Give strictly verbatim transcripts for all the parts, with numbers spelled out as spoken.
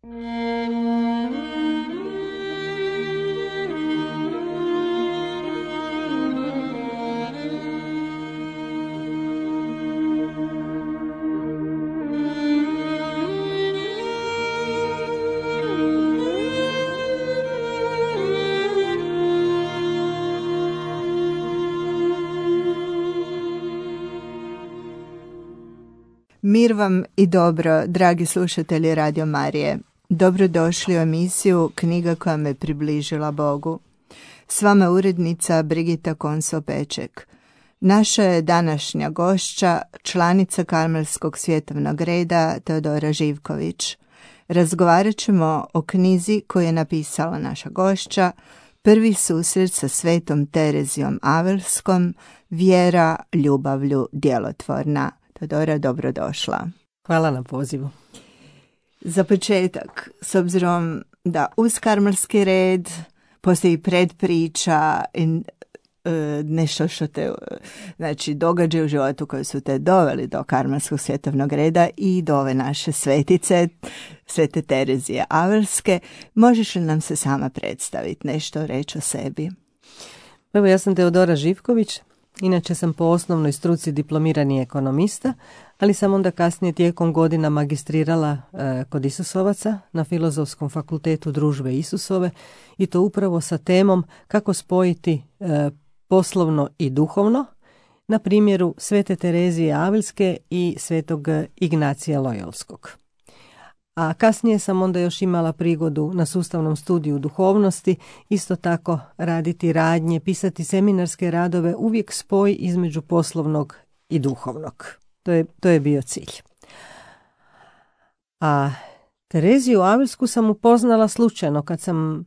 Mir vam i dobro, dragi slušatelji Radio Marije. Dobrodošli u emisiju Knjiga koja me približila Bogu. S vama urednica Brigita Konso-Peček. Naša je današnja gošća, članica Karmelskog svjetovnog reda Teodora Živković. Razgovarat ćemo o knjizi koju je napisala naša gošća, Prvi susret sa Svetom Terezijom Avelskom, Vjera ljubavlju djelotvorna. Teodora, dobrodošla. Hvala na pozivu. Za početak, s obzirom da uz karmelski red postoji predpriča i e, nešto što te znači, događaje u životu koji su te doveli do Karmelskog svjetovnog reda i do ove naše svetice, Svete Terezije Avelske, možeš li nam se sama predstaviti, nešto reći o sebi? Evo, ja sam Teodora Živković. Inače sam po osnovnoj struci diplomirani ekonomista, ali sam onda kasnije tijekom godina magistrirala e, kod Isusovaca na Filozofskom fakultetu Družbe Isusove i to upravo sa temom kako spojiti e, poslovno i duhovno na primjeru Svete Terezije Avelske i Svetog Ignacija Lojolskog. A kasnije sam onda još imala prigodu na sustavnom studiju duhovnosti isto tako raditi radnje, pisati seminarske radove, uvijek spoj između poslovnog i duhovnog. To je, to je bio cilj. A Tereziju Avelsku sam upoznala slučajno kad sam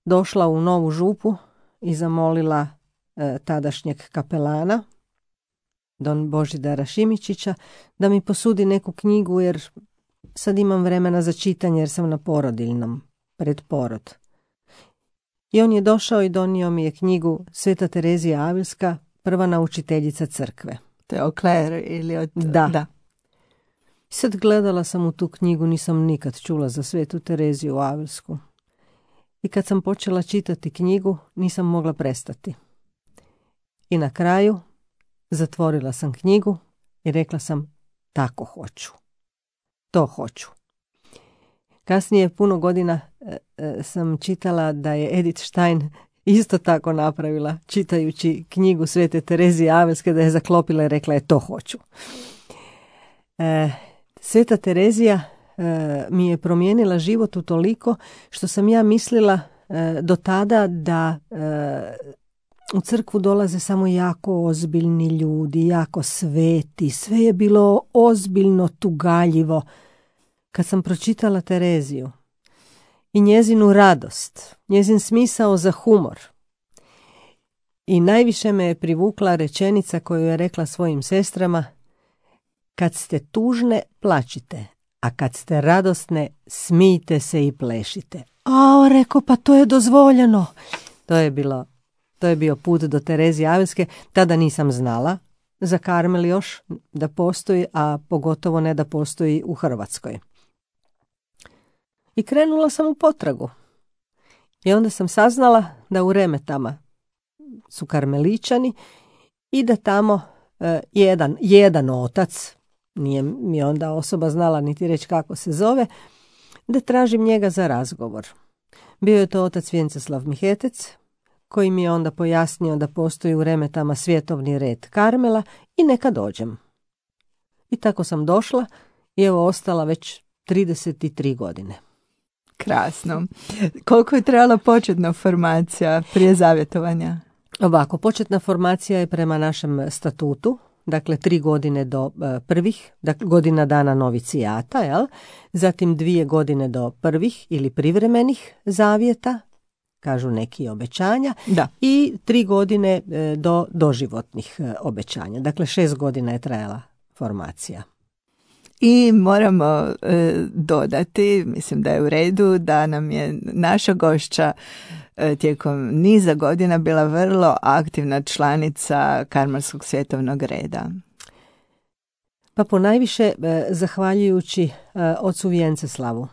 došla u Novu Župu i zamolila e, tadašnjeg kapelana, don Božidara Šimičića, da mi posudi neku knjigu jer sad imam vremena za čitanje jer sam na porodiljnom, pred porod. I on je došao i donio mi je knjigu Sveta Terezija Avelska, prva naučiteljica crkve. To je Okler ili od... Da. da. Sad gledala sam u tu knjigu, nisam nikad čula za Svetu Tereziju Avelsku. I kad sam počela čitati knjigu, nisam mogla prestati. I na kraju zatvorila sam knjigu i rekla sam, tako hoću. To hoću. Kasnije puno godina e, e, sam čitala da je Edith Stein isto tako napravila, čitajući knjigu Svete Terezije Avelske, da je zaklopila i rekla je to hoću. E, Sveta Terezija e, mi je promijenila život utoliko što sam ja mislila e, do tada da e, u crkvu dolaze samo jako ozbiljni ljudi, jako sveti, sve je bilo ozbiljno tugaljivo. Kad sam pročitala Tereziju i njezinu radost, njezin smisao za humor i najviše me je privukla rečenica koju je rekla svojim sestrama, kad ste tužne, plačite, a kad ste radosne, smijte se i plešite. A, rekao, pa to je dozvoljeno. To je bilo To je bio put do Terezije Avelske. Tada nisam znala za Karmel još da postoji, a pogotovo ne da postoji u Hrvatskoj. I krenula sam u potragu. I onda sam saznala da u Remetama su karmeličani i da tamo e, jedan, jedan otac, nije mi onda osoba znala niti reći kako se zove, da tražim njega za razgovor. Bio je to otac Vjenceslav Mihetec, koji mi je onda pojasnio da postoji u Remetama svjetovni red Karmela i neka dođem. I tako sam došla i evo ostala već trideset tri godine. Krasno. Koliko je trebala početna formacija prije zavjetovanja? Ovako, početna formacija je prema našem statutu, dakle tri godine do e, prvih, dakle, godina dana novicijata, jel? Zatim dvije godine do prvih ili privremenih zavjeta, kažu neki obećanja, da. I tri godine e, do doživotnih e, obećanja. Dakle, šest godina je trajala formacija. I moramo e, dodati, mislim da je u redu, da nam je naša gošća e, tijekom niza godina bila vrlo aktivna članica Karmelskog svjetovnog reda. Pa ponajviše e, zahvaljujući e, ocu Vjenceslavu,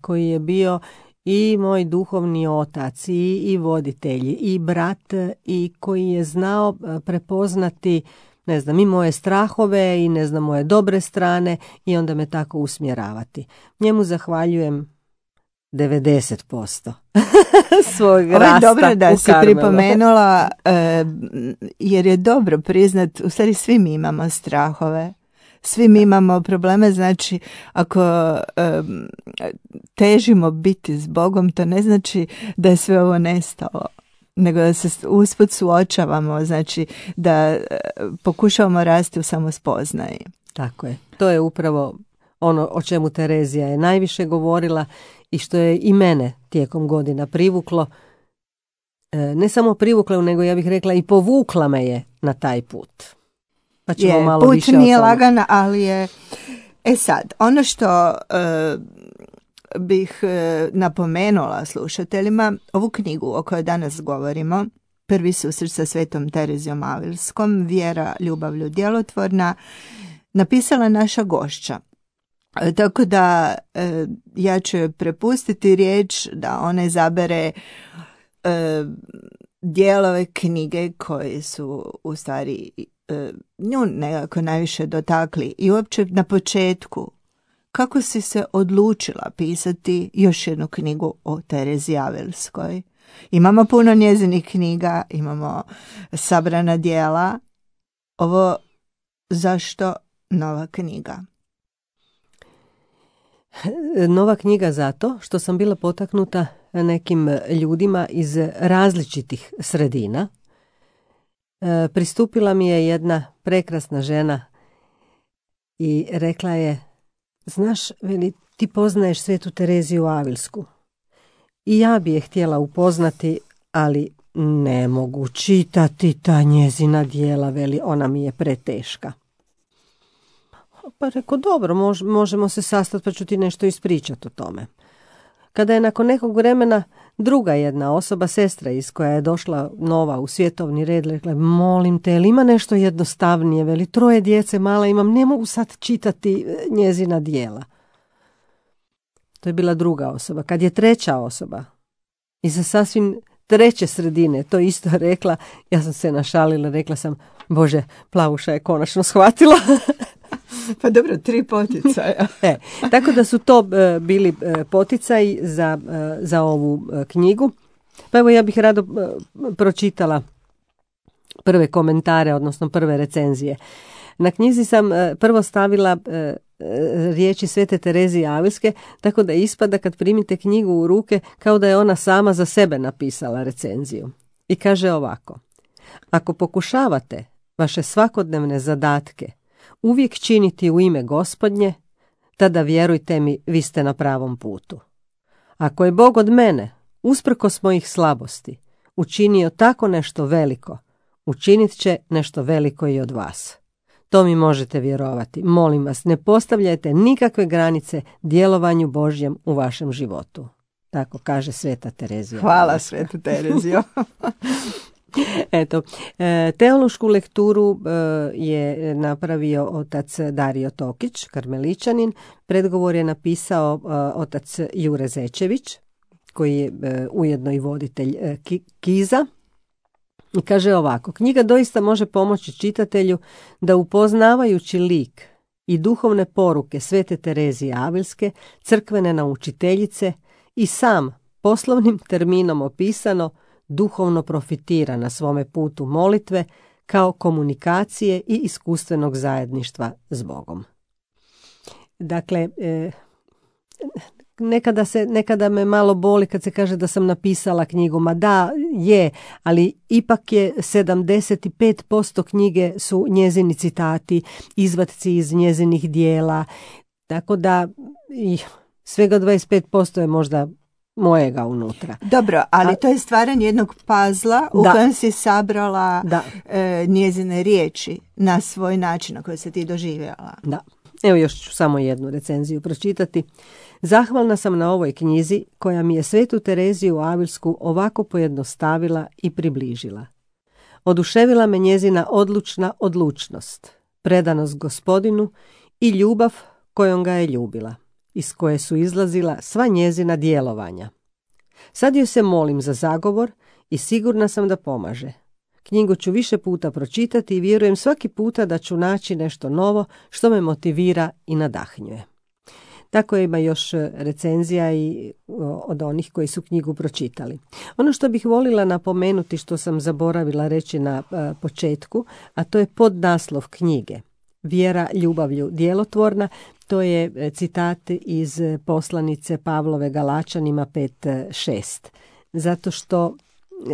koji je bio i moj duhovni otac i, i voditelj i brat i koji je znao prepoznati, ne znam, i moje strahove i ne znam, moje dobre strane i onda me tako usmjeravati. Njemu zahvaljujem devedeset posto svog rasta. Ovo je dobro da si Karmelu. pripomenula, e, jer je dobro priznat, u stvari svi mi imamo strahove. Svi mi imamo probleme, znači ako um, težimo biti s Bogom, to ne znači da je sve ovo nestalo, nego da se usput suočavamo, znači da uh, pokušavamo rasti u samospoznaji. Tako je. To je upravo ono o čemu Terezija je najviše govorila i što je i mene tijekom godina privuklo. E, ne samo privukla, nego ja bih rekla i povukla me je na taj put. Pa ćemo je, malo put više nije o tome. lagan, ali je... E sad, ono što uh, bih uh, napomenula slušateljima, ovu knjigu o kojoj danas govorimo, Prvi susret sa Svetom Terezijom Avilskom, Vjera, ljubavlju, djelotvorna, napisala naša gošća. E, tako da e, ja ću joj prepustiti riječ da ona izabere e, dijelove knjige koji su u stvari e, nju nekako najviše dotakli. I uopće na početku, kako si se odlučila pisati još jednu knjigu o Tereziji Avilskoj? Imamo puno njezinih knjiga, imamo sabrana djela. Ovo zašto nova knjiga? Nova knjiga zato što sam bila potaknuta nekim ljudima iz različitih sredina. E, pristupila mi je jedna prekrasna žena i rekla je, znaš, veli, ti poznaješ Svetu Tereziju Avilsku. I ja bi je htjela upoznati, ali ne mogu čitati ta njezina djela, veli, ona mi je preteška. Pa reko, dobro, mož, možemo se sastati pa ću ti nešto ispričati o tome. Kada je nakon nekog vremena druga jedna osoba, sestra iz koja je došla nova u svjetovni red, rekla, molim te, jel ima nešto jednostavnije, veli, troje djece mala imam, ne mogu sad čitati njezina djela. To je bila druga osoba. Kad je treća osoba iza sasvim treće sredine to isto rekla, ja sam se našalila, rekla sam, Bože, Plavuša je konačno shvatila. Pa dobro, tri poticaja. e, tako da su to e, bili e, poticaji za, e, za ovu e, knjigu. Pa evo ja bih rado e, pročitala prve komentare, odnosno prve recenzije. Na knjizi sam e, prvo stavila e, riječi Svete Terezije Avilske, tako da ispada kad primite knjigu u ruke kao da je ona sama za sebe napisala recenziju. I kaže ovako: ako pokušavate vaše svakodnevne zadatke uvijek činiti u ime Gospodnje, tada vjerujte mi, vi ste na pravom putu. Ako je Bog od mene, usprkos mojih slabosti, učinio tako nešto veliko, učinit će nešto veliko i od vas. To mi možete vjerovati. Molim vas, ne postavljajte nikakve granice djelovanju Božjem u vašem životu. Tako kaže Sveta Terezija. Hvala, Sveta Terezijo. Eto, teološku lekturu je napravio otac Dario Tokić, karmeličanin. Predgovor je napisao otac Jure Zečević, koji je ujedno i voditelj Kiza. I kaže ovako: knjiga doista može pomoći čitatelju da upoznavajući lik i duhovne poruke Svete Terezije Avilske, crkvene naučiteljice, i sam poslovnim terminom opisano duhovno profitira na svome putu molitve kao komunikacije i iskustvenog zajedništva s Bogom. Dakle, e, nekada, se, nekada me malo boli kad se kaže da sam napisala knjigu. Ma da, je, ali ipak je sedamdeset pet posto knjige su njezini citati, izvatci iz njezinih dijela, tako da i svega dvadeset pet posto je možda mojega unutra. Dobro, ali to je stvaranje jednog pazla u da. kojem si sabrala da. e, njezine riječi na svoj način na koji se ti doživjela. Da. Evo još ću samo jednu recenziju pročitati. Zahvalna sam na ovoj knjizi koja mi je Svetu Tereziju Avilsku ovako pojednostavila i približila. Oduševila me njezina odlučna odlučnost, predanost Gospodinu i ljubav kojom ga je ljubila. iz koje su izlazila sva njezina djelovanja. Sad joj se molim za zagovor i sigurna sam da pomaže. Knjigu ću više puta pročitati i vjerujem svaki puta da ću naći nešto novo što me motivira i nadahnjuje. Tako ima još recenzija i od onih koji su knjigu pročitali. Ono što bih volila napomenuti, što sam zaboravila reći na početku, a to je podnaslov knjige. Vjera ljubavlju djelotvorna, to je citat iz poslanice Pavlove Galačanima pet šest. Zato što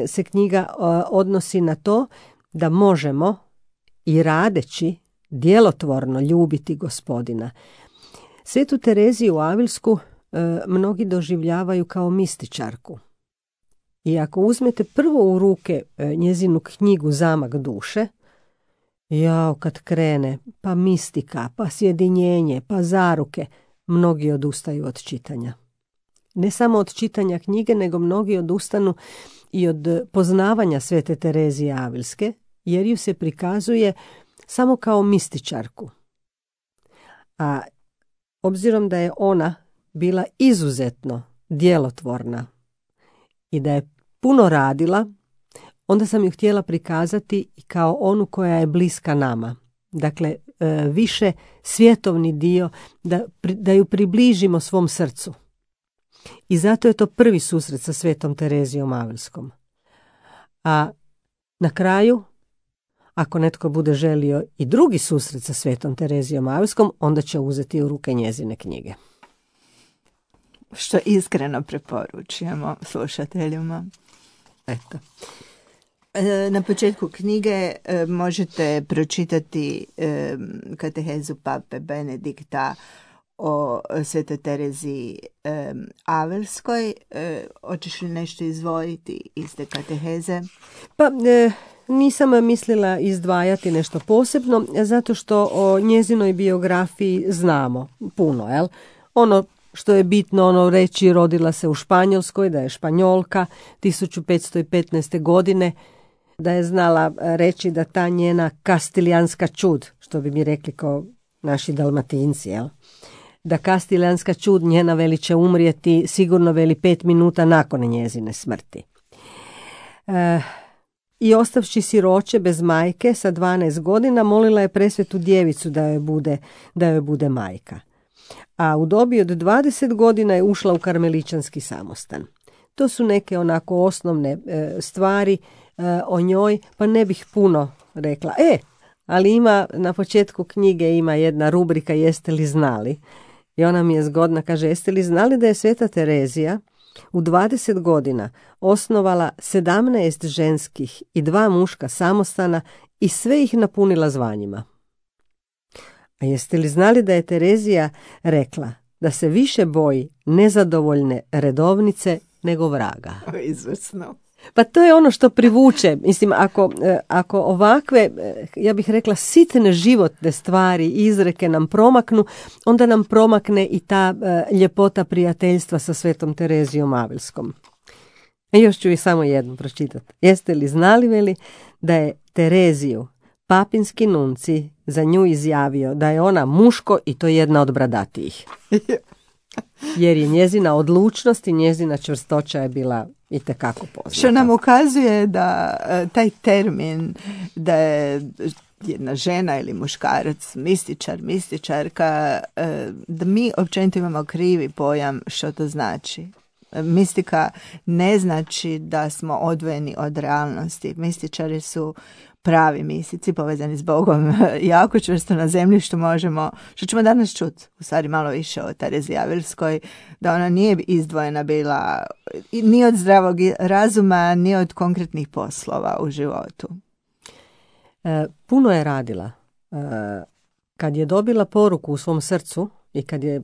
se knjiga odnosi na to da možemo i radeći djelotvorno ljubiti Gospodina. Svetu Tereziju Avilsku e, mnogi doživljavaju kao mističarku. I ako uzmete prvo u ruke e, njezinu knjigu Zamak duše, jao kad krene, pa mistika, pa sjedinjenje, pa zaruke, mnogi odustaju od čitanja. Ne samo od čitanja knjige, nego mnogi odustanu i od poznavanja Svete Terezije Avilske, jer ju se prikazuje samo kao mističarku. A obzirom da je ona bila izuzetno djelotvorna i da je puno radila, onda sam ju htjela prikazati i kao onu koja je bliska nama. Dakle, više svjetovni dio, da, da ju približimo svom srcu. I zato je to prvi susret sa Svetom Terezijom Avilskom. A na kraju, ako netko bude želio i drugi susret sa Svetom Terezijom Avilskom, onda će uzeti u ruke njezine knjige. Što iskreno preporučujemo slušateljima. Eto. Na početku knjige možete pročitati katehezu pape Benedikta o Svetoj Tereziji Avilskoj. Hoćeš li nešto izdvojiti iz te kateheze? Pa... E... Nisam mislila izdvajati nešto posebno, zato što o njezinoj biografiji znamo puno, jel? Ono što je bitno ono reći, rodila se u Španjolskoj, da je Španjolka tisuću petsto petnaeste. godine, da je znala reći da ta njena kastilijanska čud, što bi mi rekli kao naši Dalmatinci, jel? Da kastilijanska čud njena veli će umrijeti sigurno veli pet minuta nakon njezine smrti. E, I ostavši siroče bez majke sa dvanaest godina, molila je presvetu djevicu da joj bude, da joj bude majka. A u dobi od dvadeset godina je ušla u karmeličanski samostan. To su neke onako osnovne e, stvari e, o njoj, pa ne bih puno rekla. E, ali ima na početku knjige ima jedna rubrika Jeste li znali? I ona mi je zgodna, kaže, jeste li znali da je Sveta Terezija u dvadeset godina osnovala sedamnaest ženskih i dva muška samostana i sve ih napunila zvanjima? A jeste li znali da je Terezija rekla da se više boji nezadovoljne redovnice nego vraga? Izvrsno. Pa to je ono što privuče. Mislim, ako, ako ovakve, ja bih rekla, sitne životne stvari i izreke nam promaknu, onda nam promakne i ta uh, ljepota prijateljstva sa Svetom Terezijom Avilskom. E, još ću i samo jednu pročitati. Jeste li znali, veli, da je Tereziju papinski nunci za nju izjavio da je ona muško i to jedna od bradatijih. Jer je njezina odlučnost i njezina čvrstoća je bila itekako poznata. Što nam ukazuje da taj termin da je jedna žena ili muškarac, mističar, mističarka, da mi općenito imamo krivi pojam što to znači. Mistika ne znači da smo odvojeni od realnosti. Mističari su pravi mistici povezani s Bogom, jako čvrsto na zemlji, što možemo, što ćemo danas čuti, u stvari malo više o Tereziji Avilskoj, da ona nije izdvojena bila ni od zdravog razuma, ni od konkretnih poslova u životu. E, puno je radila. E, kad je dobila poruku u svom srcu i kad je e,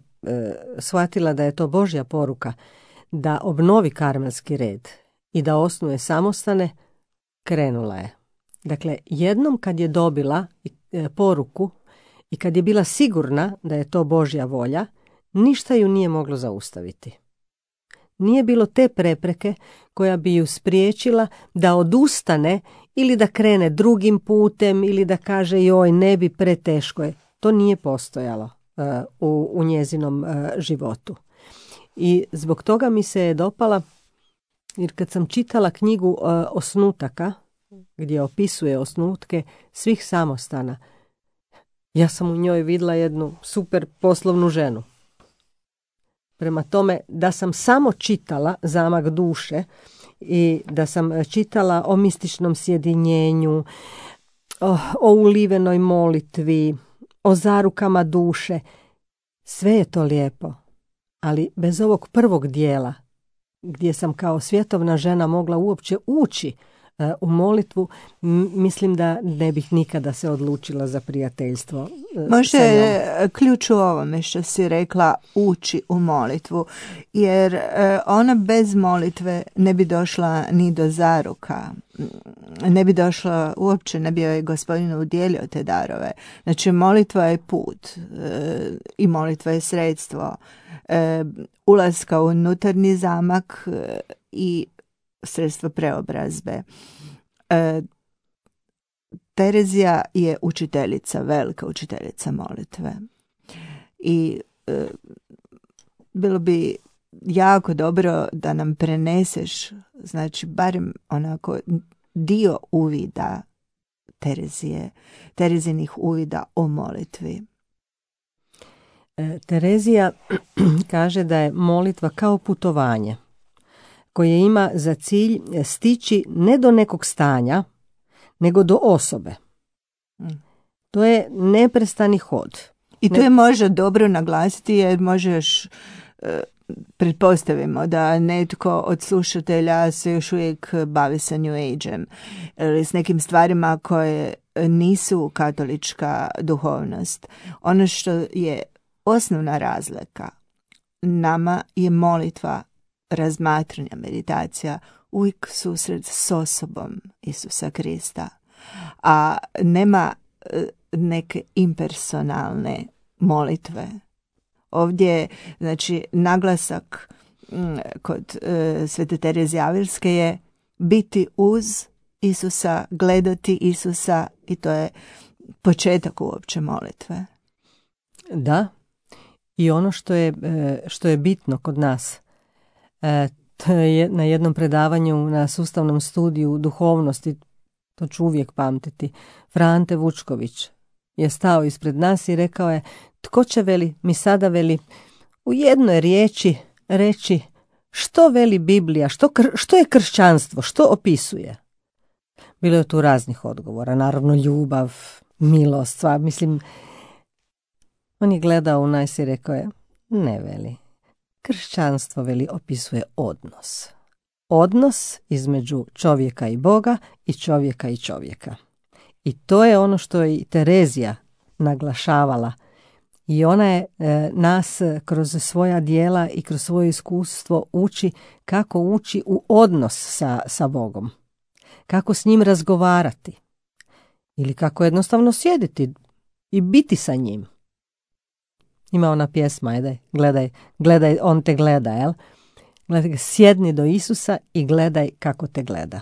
shvatila da je to Božja poruka, da obnovi karmelski red i da osnuje samostane, krenula je. Dakle, jednom kad je dobila e, poruku i kad je bila sigurna da je to Božja volja, ništa ju nije moglo zaustaviti. Nije bilo te prepreke koja bi ju spriječila da odustane ili da krene drugim putem ili da kaže joj ne bi, preteško je. To nije postojalo. u, u njezinom životu. I zbog toga mi se je dopala, jer kad sam čitala knjigu Osnutaka, gdje opisuje osnutke svih samostana, ja sam u njoj vidjela jednu super poslovnu ženu. Prema tome, da sam samo čitala Zamak duše i da sam čitala o mističnom sjedinjenju, o, o ulivenoj molitvi, o zarukama duše, sve je to lijepo, ali bez ovog prvog dijela, gdje sam kao svjetovna žena mogla uopće ući uh, u molitvu, m- mislim da ne bih nikada se odlučila za prijateljstvo. Uh, Možda je ključ u ovome što si rekla, ući u molitvu, jer uh, ona bez molitve ne bi došla ni do zaruka, ne bi došla uopće, ne bi joj Gospodin udjelio te darove. Znači molitva je put uh, i molitva je sredstvo uh, ulaska u unutarnji zamak uh, i sredstvo preobrazbe. Uh, Terezija je učiteljica, velika učiteljica molitve. I e, bilo bi jako dobro da nam preneseš, znači barem onako dio uvida Terezije, Terezinih uvida o molitvi. E, Terezija kaže da je molitva kao putovanje koje ima za cilj stići ne do nekog stanja, nego do osobe. To je neprestani hod. I to je možda dobro naglasiti, jer možeš, e, pretpostavimo da netko od slušatelja se još uvijek bavi sa New Age-em ili s nekim stvarima koje nisu katolička duhovnost. Ono što je osnovna razlika, nama je molitva, razmatranja, meditacija, uvijek susret s osobom Isusa Krista, a nema neke impersonalne molitve. Ovdje, znači, naglasak kod uh, Svete Terezije Avilske je biti uz Isusa, gledati Isusa, i to je početak uopće molitve. Da, i ono što je, što je bitno kod nas, to je na jednom predavanju na sustavnom studiju duhovnosti, to ću uvijek pamtiti, Frante Vučković je stao ispred nas i rekao je: tko će, veli, mi sada, veli, u jednoj riječi reći što veli Biblija, što, kr- što je kršćanstvo, što opisuje? Bilo je tu raznih odgovora, naravno ljubav, milost, sva, mislim, on je gledao u nas i rekao je: ne, veli, kršćanstvo, veli, opisuje odnos. Odnos između čovjeka i Boga i čovjeka i čovjeka. I to je ono što je i Terezija naglašavala. I ona je e, nas kroz svoja djela i kroz svoje iskustvo uči kako ući u odnos sa, sa Bogom. Kako s njim razgovarati. Ili kako jednostavno sjediti i biti sa njim. Ima ona pjesma, ajde, gledaj, gledaj, on te gleda, jel? Gledaj, sjedni do Isusa i gledaj kako te gleda.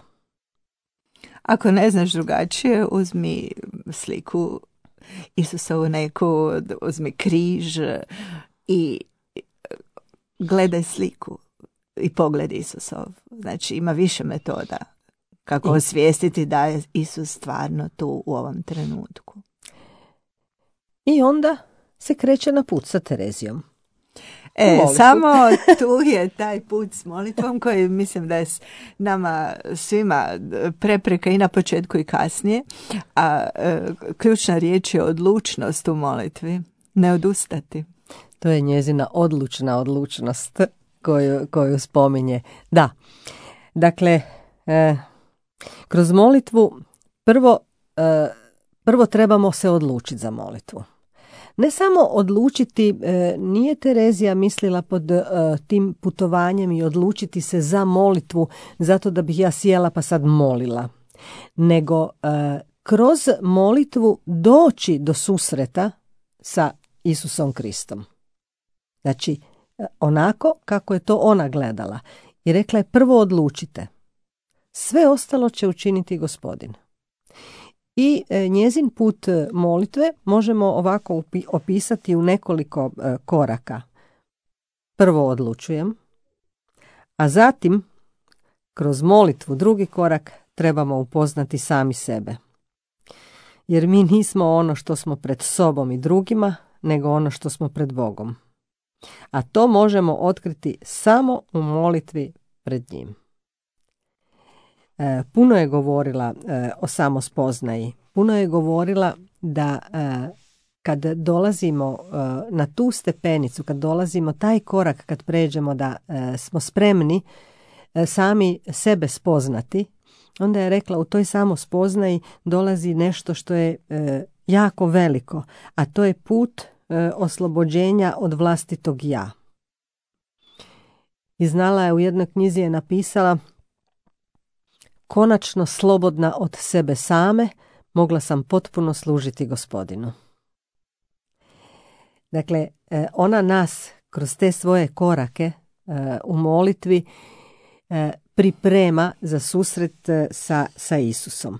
Ako ne znaš drugačije, uzmi sliku Isusovu neku, uzmi križ i gledaj sliku i pogled Isusov. Znači, ima više metoda kako I... osvijestiti da je Isus stvarno tu u ovom trenutku. I onda se kreće na put sa Terezijom. E, samo tu je taj put s molitvom koji mislim da je nama svima prepreka i na početku i kasnije, a e, ključna riječ je odlučnost u molitvi, ne odustati. To je njezina odlučna odlučnost koju, koju spominje. Da, dakle, e, kroz molitvu prvo, e, prvo trebamo se odlučiti za molitvu. Ne samo odlučiti, e, nije Terezija mislila pod e, tim putovanjem i odlučiti se za molitvu zato da bih ja sjela pa sad molila, nego e, kroz molitvu doći do susreta sa Isusom Kristom. Znači, e, onako kako je to ona gledala. I rekla je: prvo odlučite. Sve ostalo će učiniti Gospodin. I e, njezin put molitve možemo ovako upi- opisati u nekoliko e, koraka. Prvo odlučujem, a zatim kroz molitvu drugi korak trebamo upoznati sami sebe. Jer mi nismo ono što smo pred sobom i drugima, nego ono što smo pred Bogom. A to možemo otkriti samo u molitvi pred njim. E, puno je govorila e, o samospoznaji. Puno je govorila da e, kad dolazimo e, na tu stepenicu, kad dolazimo taj korak, kad pređemo da e, smo spremni e, sami sebe spoznati, onda je rekla u toj samospoznaji dolazi nešto što je e, jako veliko, a to je put e, oslobođenja od vlastitog ja. I znala je, u jednoj knjizi je napisala: konačno slobodna od sebe same, mogla sam potpuno služiti Gospodinu. Dakle, e, ona nas kroz te svoje korake e, u molitvi e, priprema za susret sa, sa Isusom.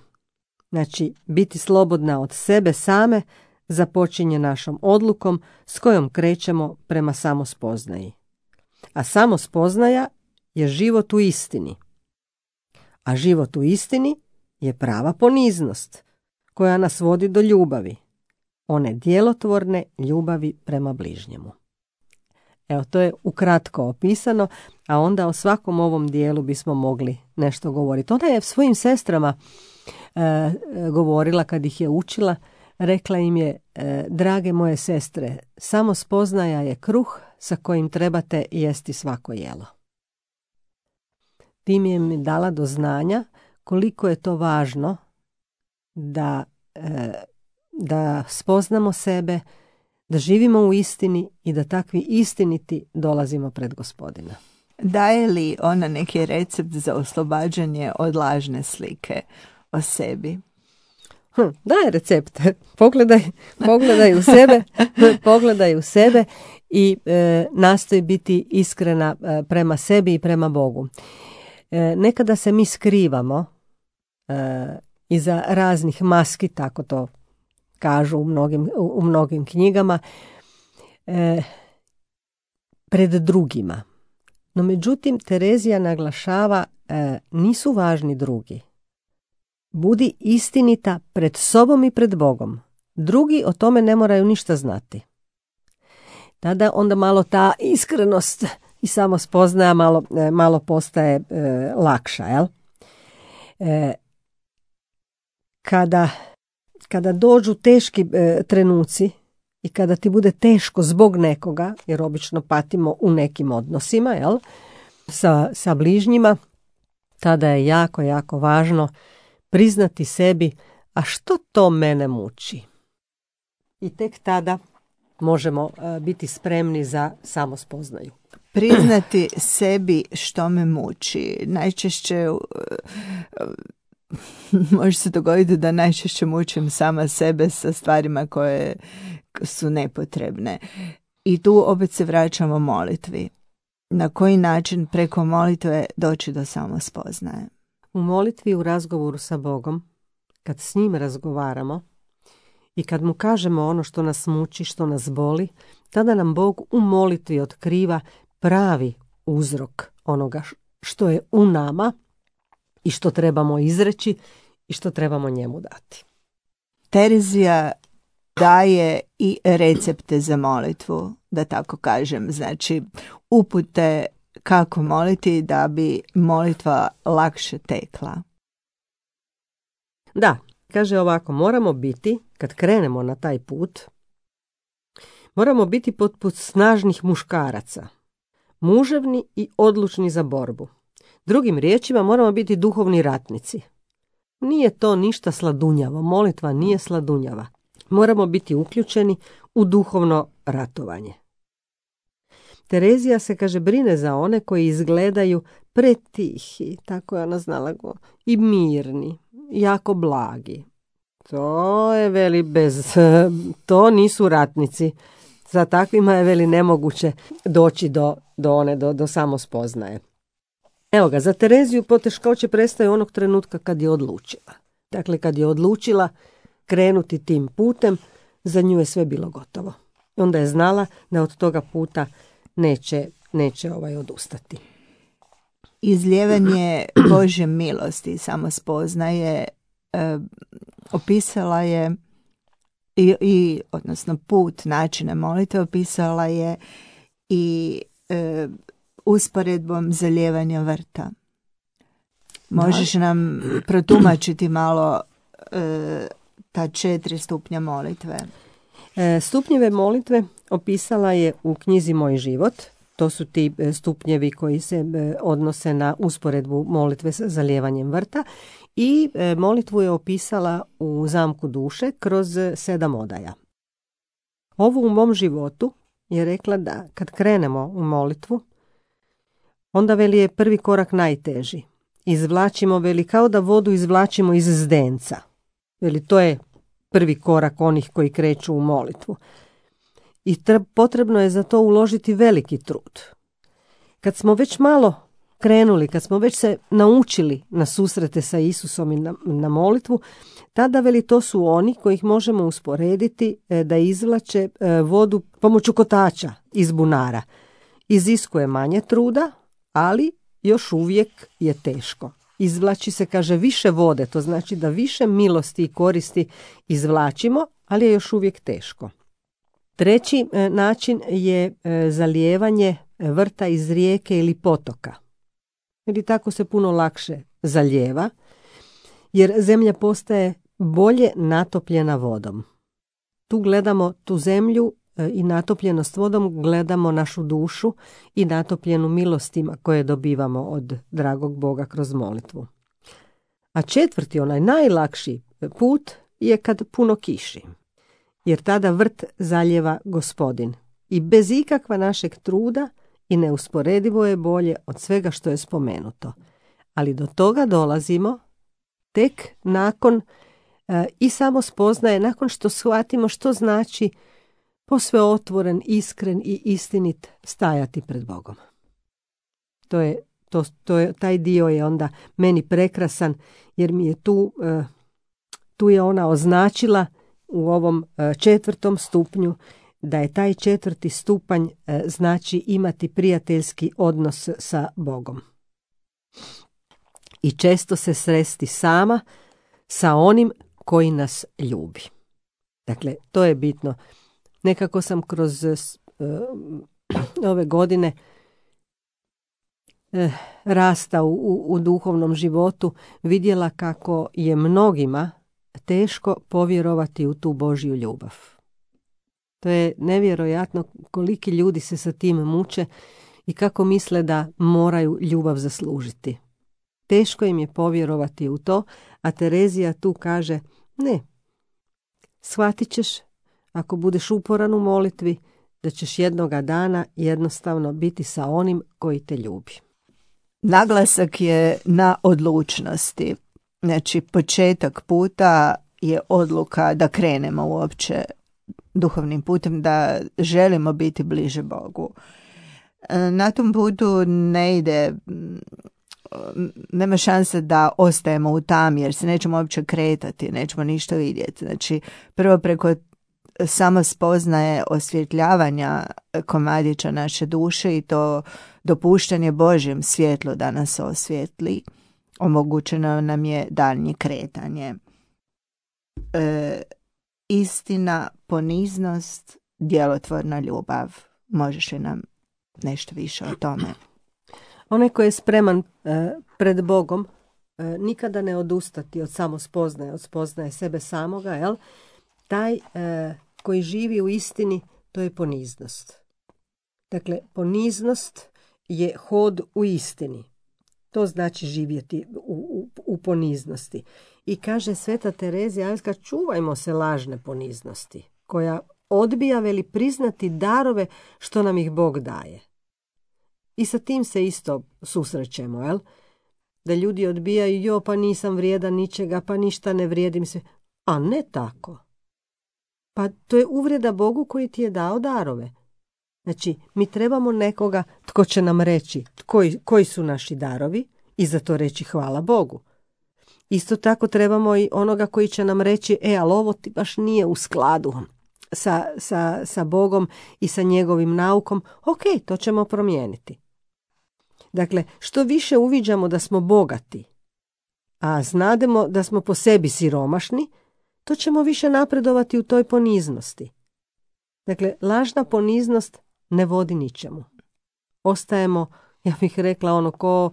Znači, biti slobodna od sebe same započinje našom odlukom s kojom krećemo prema samospoznaji. A samospoznaja je život u istini. A život u istini je prava poniznost koja nas vodi do ljubavi, one djelotvorne ljubavi prema bližnjemu. Evo, to je ukratko opisano, a onda o svakom ovom dijelu bismo mogli nešto govoriti. Ona je svojim sestrama e, govorila kad ih je učila, rekla im je: e, drage moje sestre, samospoznaja je kruh sa kojim trebate jesti svako jelo. Tim je mi dala do znanja koliko je to važno da, e, da spoznamo sebe, da živimo u istini i da takvi istiniti dolazimo pred Gospodina. Daje li ona neki recept za oslobađanje od lažne slike o sebi? Hm, daje recept. Pogledaj, pogledaj u sebe, pogledaj u sebe i e, nastoji biti iskrena e, prema sebi i prema Bogu. E, nekada se mi skrivamo e, iza raznih maski, tako to kažu u mnogim, u, u mnogim knjigama, e, pred drugima. No međutim, Terezija naglašava, e, nisu važni drugi. Budi istinita pred sobom i pred Bogom. Drugi o tome ne moraju ništa znati. Tada onda malo ta iskrenost i samospoznaja malo, e, malo postaje e, lakša, jel? E, kada, kada dođu teški e, trenuci i kada ti bude teško zbog nekoga, jer obično patimo u nekim odnosima, jel? Sa, sa bližnjima, tada je jako, jako važno priznati sebi, a što to mene muči? I tek tada možemo uh, biti spremni za samospoznaju. Priznati sebi što me muči. Najčešće uh, uh, može se dogoditi da najčešće mučim sama sebe sa stvarima koje su nepotrebne. I tu opet se vraćamo molitvi. Na koji način preko molitve doći do samospoznaje? U molitvi, u razgovoru sa Bogom, kad s njim razgovaramo i kad mu kažemo ono što nas muči, što nas boli, tada nam Bog u molitvi otkriva pravi uzrok onoga što je u nama i što trebamo izreći i što trebamo njemu dati. Terezija daje i recepte za molitvu, da tako kažem, znači upute kako moliti da bi molitva lakše tekla. Da, kaže ovako, moramo biti, kad krenemo na taj put, moramo biti poput snažnih muškaraca, muževni i odlučni za borbu. Drugim riječima, moramo biti duhovni ratnici. Nije to ništa sladunjavo, molitva nije sladunjava. Moramo biti uključeni u duhovno ratovanje. Terezija se, kaže, brine za one koji izgledaju pretihi, tako je ona znala go, i mirni, jako blagi. To je, veli, bez, to nisu ratnici. Za takvima je, veli, nemoguće doći do, do one, do, do samospoznaje. Evo ga, za Tereziju poteškoće prestaju onog trenutka kad je odlučila. Dakle, kad je odlučila krenuti tim putem, za nju je sve bilo gotovo. Onda je znala da od toga puta neće, neće ovaj odustati. Izlijevanje Božje milosti i samospoznaje e, opisala je i, i odnosno put načina molitve opisala je i e, usporedbom zalijevanja vrta. Možeš da. nam protumačiti malo e, ta četiri stupnja molitve? E, stupnjeve molitve opisala je u knjizi Moj život. To su ti stupnjevi koji se odnose na usporedbu molitve sa zalijevanjem vrta i molitvu je opisala u Zamku duše kroz sedam odaja. Ovo u mom životu je rekla da kad krenemo u molitvu, onda veli je prvi korak najteži. Izvlačimo, veli, kao da vodu izvlačimo iz zdenca. Veli, to je prvi korak onih koji kreću u molitvu. I potrebno je za to uložiti veliki trud. Kad smo već malo krenuli, kad smo već se naučili na susrete sa Isusom i na, na molitvu, tada veli to su oni kojih možemo usporediti da izvlače vodu pomoću kotača iz bunara. Iziskuje manje truda, ali još uvijek je teško. Izvlači se, kaže, više vode, to znači da više milosti i koristi izvlačimo, ali je još uvijek teško. Treći način je zalijevanje vrta iz rijeke ili potoka. Ili tako se puno lakše zalijeva, jer zemlja postaje bolje natopljena vodom. Tu gledamo tu zemlju i natopljenost vodom, gledamo našu dušu i natopljenu milostima koje dobivamo od dragog Boga kroz molitvu. A četvrti, onaj najlakši put je kad puno kiši. Jer tada vrt zalijeva Gospodin i bez ikakva našeg truda i neusporedivo je bolje od svega što je spomenuto. Ali do toga dolazimo tek nakon e, i samo spoznaje, nakon što shvatimo što znači posve otvoren, iskren i istinit stajati pred Bogom. To je, to, to je, taj dio je onda meni prekrasan, jer mi je tu, e, tu je ona označila u ovom četvrtom stupnju da je taj četvrti stupanj znači imati prijateljski odnos sa Bogom. I često se sresti sama sa onim koji nas ljubi. Dakle, to je bitno. Nekako sam kroz uh, ove godine uh, rasta u, u, u duhovnom životu vidjela kako je mnogima teško povjerovati u tu Božju ljubav. To je nevjerojatno koliki ljudi se sa tim muče i kako misle da moraju ljubav zaslužiti. Teško im je povjerovati u to, a Terezija tu kaže, ne, shvatit ćeš, ako budeš uporan u molitvi, da ćeš jednoga dana jednostavno biti sa onim koji te ljubi. Naglasak je na odlučnosti. Znači, početak puta je odluka da krenemo uopće duhovnim putem, da želimo biti bliže Bogu. Na tom putu ne ide, nema šanse da ostajemo u tami, jer se nećemo uopće kretati, nećemo ništa vidjeti. Znači, prvo preko samo spoznaje osvjetljavanja komadića naše duše i to dopuštanje Božjem svjetlu da nas osvjetli, omogućeno nam je daljnje kretanje. E, istina, poniznost, djelotvorna ljubav. Možeš li nam nešto više o tome? Onaj koji je spreman e, pred Bogom e, nikada ne odustati od samospoznaje, od spoznaje sebe samoga, jel? Taj e, koji živi u istini, to je poniznost. Dakle, poniznost je hod u istini. To znači živjeti u, u, u poniznosti. I kaže Sveta Terezija Avila, čuvajmo se lažne poniznosti, koja odbija veli priznati darove što nam ih Bog daje. I sa tim se isto susrećemo, jel? Da ljudi odbijaju, jo, pa nisam vrijedan ničega, pa ništa ne vrijedim se. A ne tako. Pa to je uvreda Bogu koji ti je dao darove. Znači, mi trebamo nekoga tko će nam reći koji, koji su naši darovi i za to reći hvala Bogu. Isto tako trebamo i onoga koji će nam reći, e, ali ovo ti baš nije u skladu sa, sa, sa Bogom i sa njegovim naukom. Ok, to ćemo promijeniti. Dakle, što više uviđamo da smo bogati, a znademo da smo po sebi siromašni, to ćemo više napredovati u toj poniznosti. Dakle, lažna poniznost ne vodi ničemu. Ostajemo, ja bih rekla, ono ko,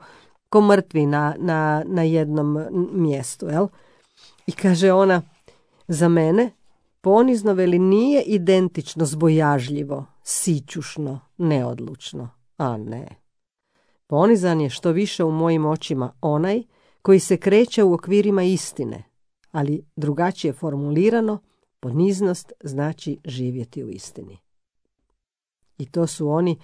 ko mrtvi na, na, na jednom mjestu. Jel? I kaže ona, za mene ponizno veli nije identično zbojažljivo, sićušno, neodlučno. A ne. Ponizan je što više u mojim očima onaj koji se kreće u okvirima istine, ali drugačije formulirano, poniznost znači živjeti u istini. I to su oni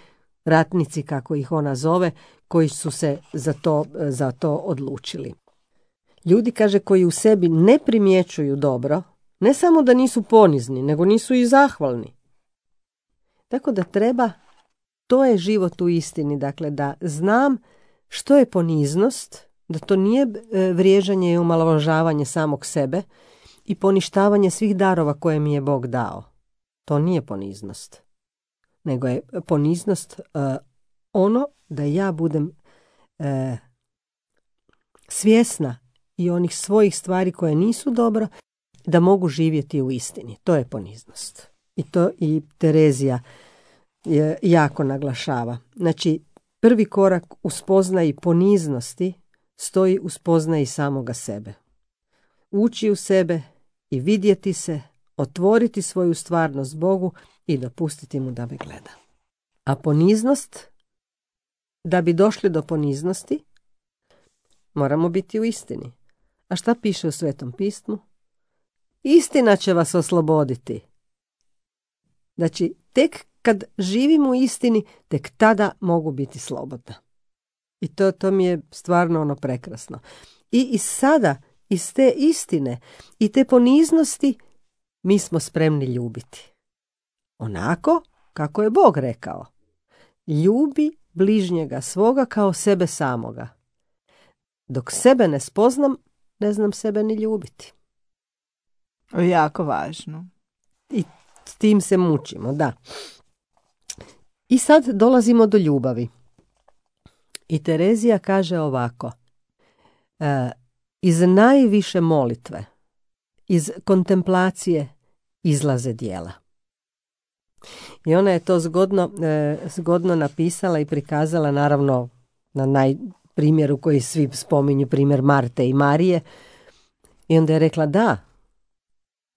ratnici, kako ih ona zove, koji su se za to, za to odlučili. Ljudi, kaže, koji u sebi ne primjećuju dobro, ne samo da nisu ponizni, nego nisu i zahvalni. Tako da treba, to je život u istini, dakle da znam što je poniznost, da to nije vriježanje i omalovažavanje samog sebe i poništavanje svih darova koje mi je Bog dao. To nije poniznost. Nego je poniznost uh, ono da ja budem uh, svjesna i onih svojih stvari koje nisu dobro, da mogu živjeti u istini. To je poniznost. I to i Terezija je jako naglašava. Znači, prvi korak u spoznaji poniznosti stoji u spoznaji samoga sebe. Ući u sebe i vidjeti se, otvoriti svoju stvarnost Bogu i dopustiti mu da me gleda. A poniznost, da bi došli do poniznosti, moramo biti u istini. A šta piše u Svetom pismu? Istina će vas osloboditi. Znači, tek kad živim u istini, tek tada mogu biti slobodna. I to, to mi je stvarno ono prekrasno. I, i sada, iz te istine i te poniznosti, mi smo spremni ljubiti. Onako kako je Bog rekao. Ljubi bližnjega svoga kao sebe samoga. Dok sebe ne spoznam, ne znam sebe ni ljubiti. Jako važno. I s tim se mučimo, da. I sad dolazimo do ljubavi. I Terezija kaže ovako. E, iz najviše molitve, iz kontemplacije izlaze djela. I ona je to zgodno, e, zgodno napisala i prikazala, naravno na najprimjeru koji svi spominju, primjer Marte i Marije. I onda je rekla, da,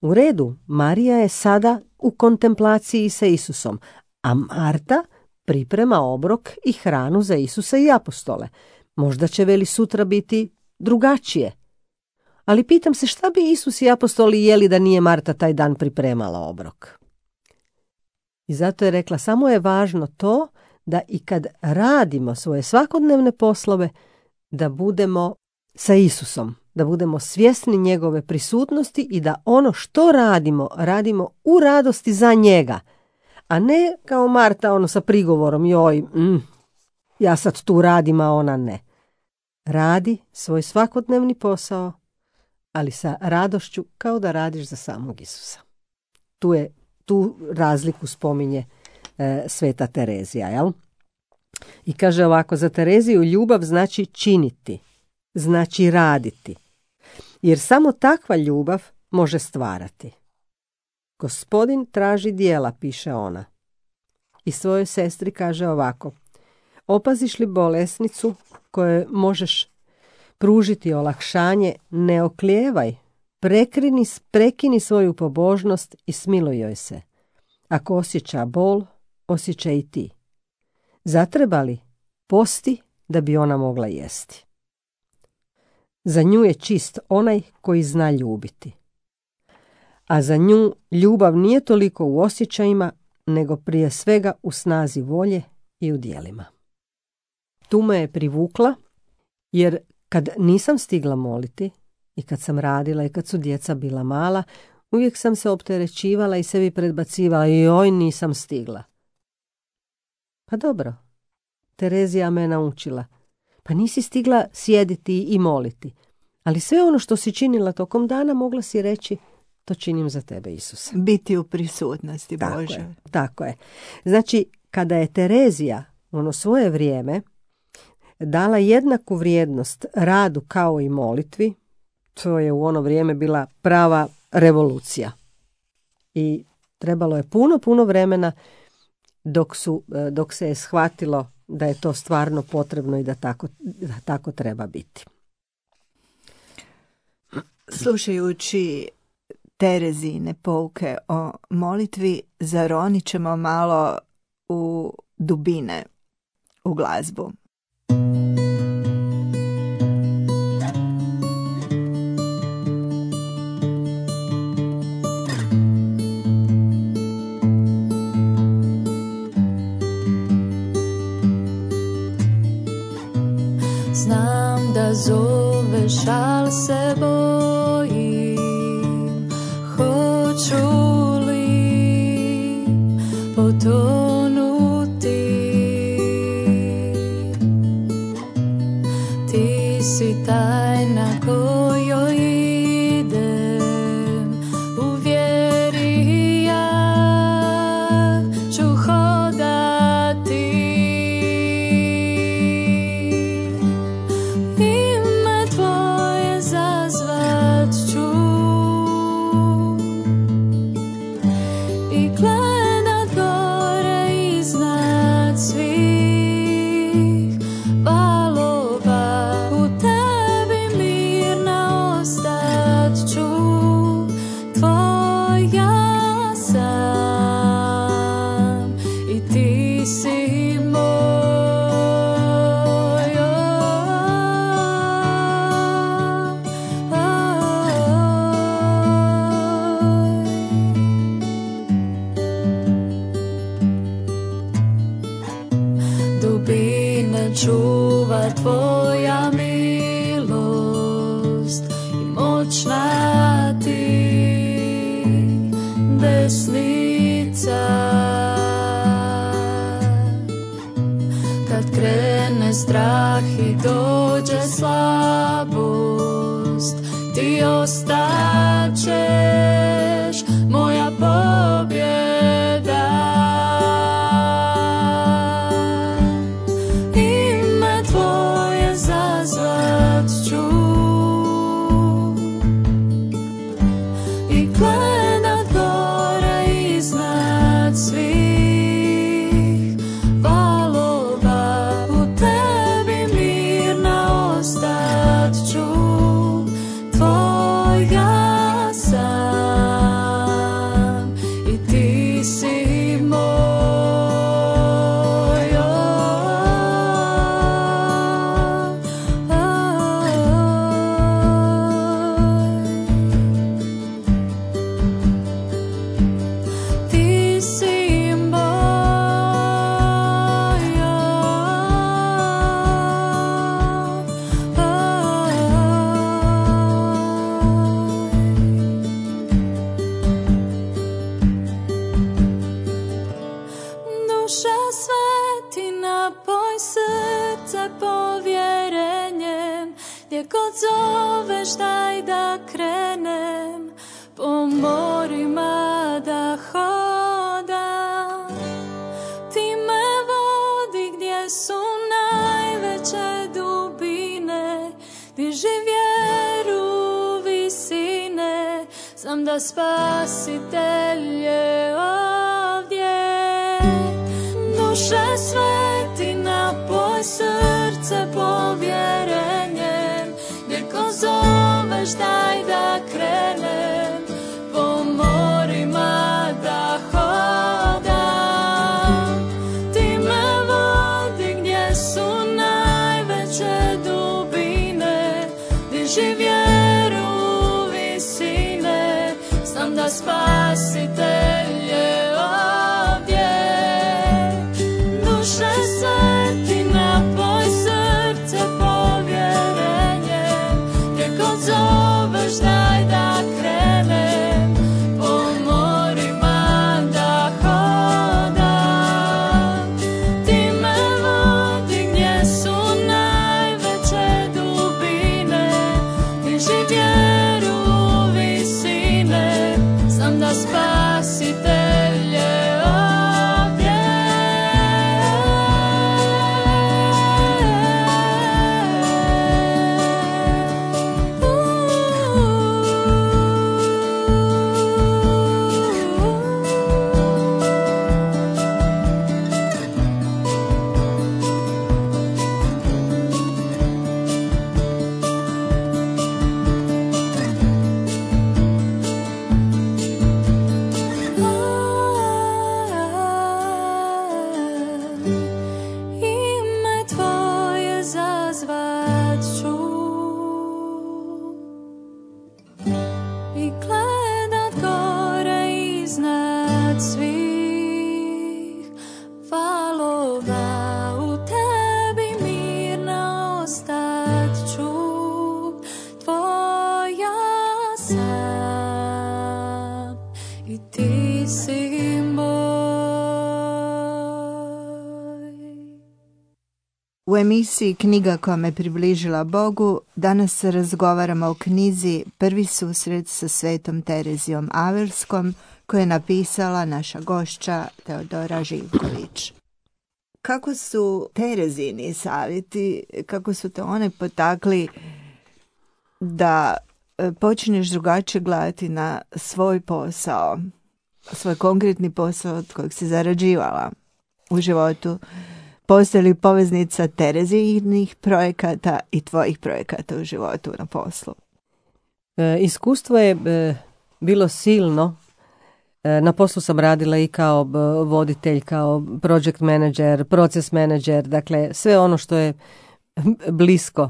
u redu, Marija je sada u kontemplaciji sa Isusom, a Marta priprema obrok i hranu za Isusa i apostole. Možda će veli sutra biti drugačije. Ali pitam se, šta bi Isus i apostoli jeli da nije Marta taj dan pripremala obrok? I zato je rekla, samo je važno to da i kad radimo svoje svakodnevne poslove, da budemo sa Isusom, da budemo svjesni njegove prisutnosti i da ono što radimo, radimo u radosti za njega, a ne kao Marta ono sa prigovorom, joj, mm, ja sad tu radim, a ona ne. Radi svoj svakodnevni posao, ali sa radošću kao da radiš za samog Isusa. Tu je tu razliku spominje e, Sveta Terezija, jel? I kaže ovako, za Tereziju ljubav znači činiti, znači raditi, jer samo takva ljubav može stvarati. Gospodin traži djela, piše ona. I svojoj sestri kaže ovako, opaziš li bolesnicu kojoj možeš pružiti olakšanje, ne oklijevaj, prekrini, prekini svoju pobožnost i smiluj joj se. Ako osjeća bol, osjeća i ti. Zatreba li, posti da bi ona mogla jesti. Za nju je čist onaj koji zna ljubiti. A za nju ljubav nije toliko u osjećajima, nego prije svega u snazi volje i u djelima. Tu me je privukla, jer kad nisam stigla moliti i kad sam radila i kad su djeca bila mala, uvijek sam se opterećivala i sebi predbacivala, joj, nisam stigla. Pa dobro, Terezija me naučila. Pa nisi stigla sjediti i moliti, Ali sve ono što si činila tokom dana mogla si reći to činim za tebe, Isuse. Biti u prisutnosti Tako Bože. je, tako je. Znači, kada je Terezija ono svoje vrijeme dala jednaku vrijednost radu kao i molitvi, to je u ono vrijeme bila prava revolucija. I trebalo je puno, puno vremena dok, su, dok se je shvatilo da je to stvarno potrebno i da tako, da tako treba biti. Slušajući Terezine pouke o molitvi, zaronit ćemo malo u dubine u glazbu. Znam da zoveš, al se bojim, hoću li potonuti. Ti si tajna kojoj idem, u vjeri ja ću hodati. Ime tvoje zazvat ću i gledat gore iznad svih valova. U tebi mirna ostat ću, tvoja sam i ti si moj. Dubine čuva tvoja milost i moćna ti desnica. Kad krene strah i dođe slabost, ti ostaćeš moja pobjeda. Ime tvoje zazvat ću i gledat gore iznad svih valova. U tebi mirna ostat ću, tvoja sam i ti si moj. Ti si duša sveti, napoj srce povjerenjem. Gdje god zoveš daj da krenem, po morima da hodam. Ti me vodi gdje su najveće dubine, diži vjeru visine. Znam da Spasitelj je ovdje. Duše sveti, napoj srce povjerenjem. Gdje ko zoveš daj da krenem, po morima da hodam. Ti me vodi gdje su najveće dubine, diži vjeru visine. Znam da Spasitelj je ovdje. Duše sveti, napoj srce povjerenjem. Gdje god zoveš daj da krenem, po morima da hodam. Ti me vodi gdje su najveće dubine, zvat ću i gledat gore iznad svih valova. U tebi mirna ostat ću, tvoja sam i ti si U emisiji Knjiga koja me približila Bogu danas razgovaramo o knjizi Prvi susret sa Svetom Terezijom Avelskom koju je napisala naša gošća Teodora Živković. Kako su Terezini savjeti, kako su te one potakli da počneš drugačije gledati na svoj posao, svoj konkretni posao od kojeg si zarađivala u životu? Postoji li poveznica Terezinih projekata i tvojih projekata u životu na poslu? E, iskustvo je e, bilo silno. E, na poslu sam radila i kao b, voditelj, kao project manager, proces manager, dakle sve ono što je blisko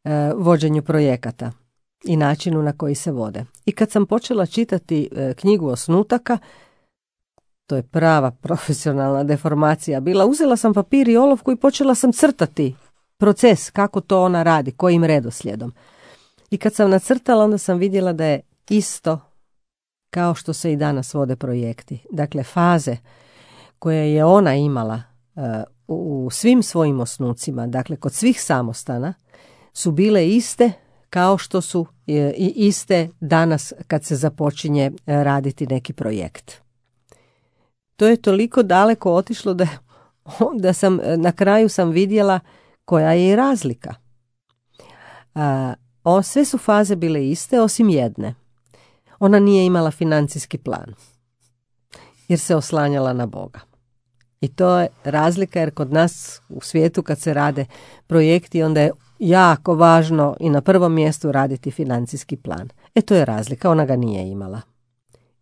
e, vođenju projekata i načinu na koji se vode. I kad sam počela čitati e, knjigu Osnutaka, to je prava profesionalna deformacija bila. Uzela sam papir i olovku i počela sam crtati proces, kako to ona radi, kojim redoslijedom. I kad sam nacrtala, onda sam vidjela da je isto kao što se i danas vode projekti. Dakle, faze koje je ona imala uh, u svim svojim osnucima, dakle kod svih samostana, su bile iste kao što su je, i iste danas kad se započinje uh, raditi neki projekt. To je toliko daleko otišlo da, da sam na kraju sam vidjela koja je i razlika. A, o, sve su faze bile iste osim jedne. Ona nije imala financijski plan jer se oslanjala na Boga. I to je razlika jer kod nas u svijetu kad se rade projekti onda je jako važno i na prvom mjestu raditi financijski plan. E to je razlika, ona ga nije imala.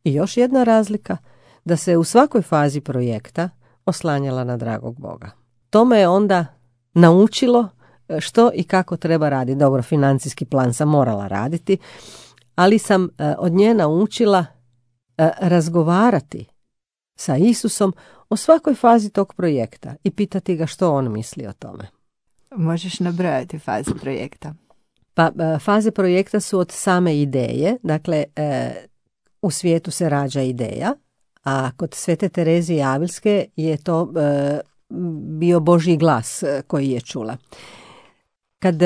I još jedna razlika, da se u svakoj fazi projekta oslanjala na dragog Boga. To me je onda naučilo što i kako treba raditi. Dobro, financijski plan sam morala raditi, ali sam od nje naučila razgovarati sa Isusom o svakoj fazi tog projekta i pitati ga što on misli o tome. Možeš nabrojati faze projekta? Pa faze projekta su od same ideje, dakle u svijetu se rađa ideja, a kod Svete Terezije Avilske je to e, bio Božji glas koji je čula. Kad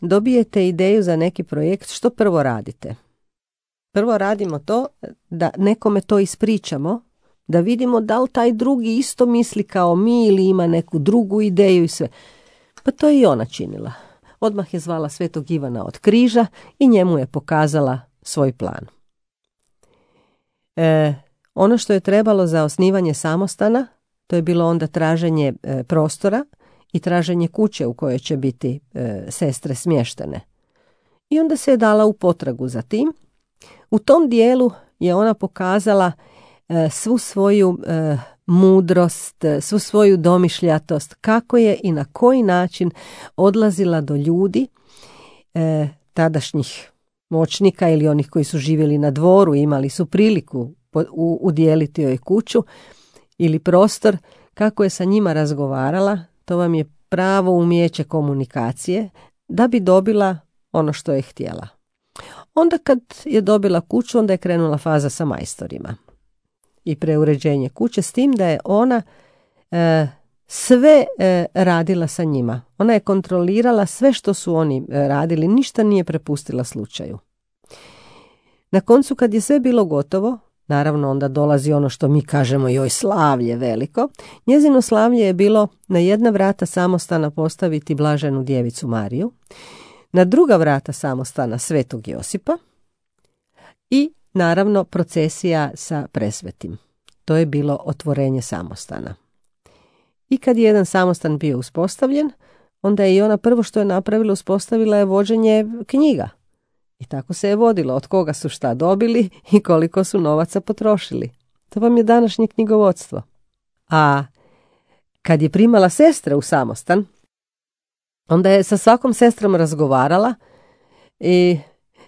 dobijete ideju za neki projekt, što prvo radite? Prvo radimo to da nekome to ispričamo, da vidimo da li taj drugi isto misli kao mi ili ima neku drugu ideju i sve. Pa to je i ona činila. Odmah je zvala Svetog Ivana od Križa i njemu je pokazala svoj plan. E, Ono što je trebalo za osnivanje samostana, to je bilo onda traženje e, prostora i traženje kuće u kojoj će biti e, sestre smještene. I onda se je dala u potragu za tim. U tom dijelu je ona pokazala e, svu svoju e, mudrost, svu svoju domišljatost, kako je i na koji način odlazila do ljudi, e, tadašnjih moćnika ili onih koji su živjeli na dvoru, imali su priliku udjeliti joj kuću ili prostor, kako je sa njima razgovarala. To vam je pravo umijeće komunikacije da bi dobila ono što je htjela. Onda kad je dobila kuću, onda je krenula faza sa majstorima i preuređenje kuće, s tim da je ona e, sve e, radila sa njima. Ona je kontrolirala sve što su oni radili, ništa nije prepustila slučaju. Na koncu kad je sve bilo gotovo, naravno onda dolazi ono što mi kažemo joj slavlje veliko. Njezino slavlje je bilo na jedna vrata samostana postaviti Blaženu djevicu Mariju, na druga vrata samostana Svetog Josipa i naravno procesija sa presvetim. To je bilo otvorenje samostana. I kad je jedan samostan bio uspostavljen, onda je i ona prvo što je napravila, uspostavila je vođenje knjiga. I tako se je vodilo od koga su šta dobili i koliko su novaca potrošili. To vam je današnje knjigovodstvo. A kad je primala sestre u samostan, Onda je sa svakom sestrom razgovarala i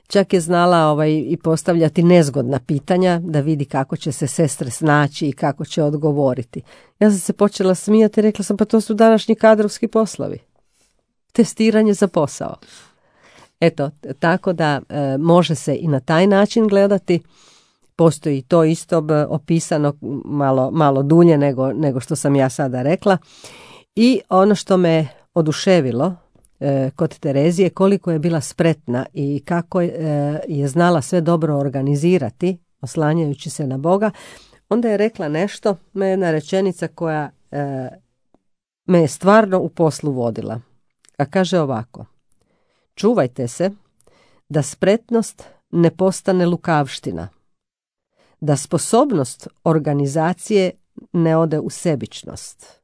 čak je znala ovaj, i postavljati nezgodna pitanja da vidi kako će se sestre snaći i kako će odgovoriti. Ja sam se počela smijati i rekla sam, pa to su današnji kadrovski poslovi. Testiranje za posao. Eto, tako da e, može se i na taj način gledati. Postoji to isto opisano malo, malo dulje nego, nego što sam ja sada rekla. I ono što me oduševilo e, kod Terezije, koliko je bila spretna i kako e, je znala sve dobro organizirati, oslanjajući se na Boga, onda je rekla nešto, me jedna rečenica koja e, me je stvarno u poslu vodila. A kaže ovako: čuvajte se da spretnost ne postane lukavština, da sposobnost organizacije ne ode u sebičnost,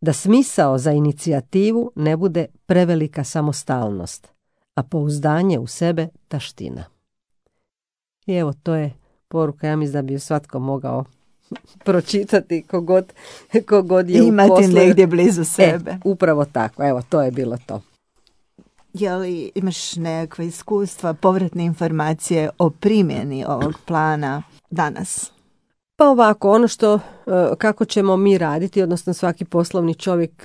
da smisao za inicijativu ne bude prevelika samostalnost, a pouzdanje u sebe taština. I evo, to je poruka, ja mislim da bi ju svatko mogao pročitati kogod, kogod je imati u poslu. negdje blizu sebe. E, upravo tako, evo, to je bilo to. Je li imaš nekakve iskustva, povratne informacije o primjeni ovog plana danas? Pa ovako, ono što, kako ćemo mi raditi, odnosno svaki poslovni čovjek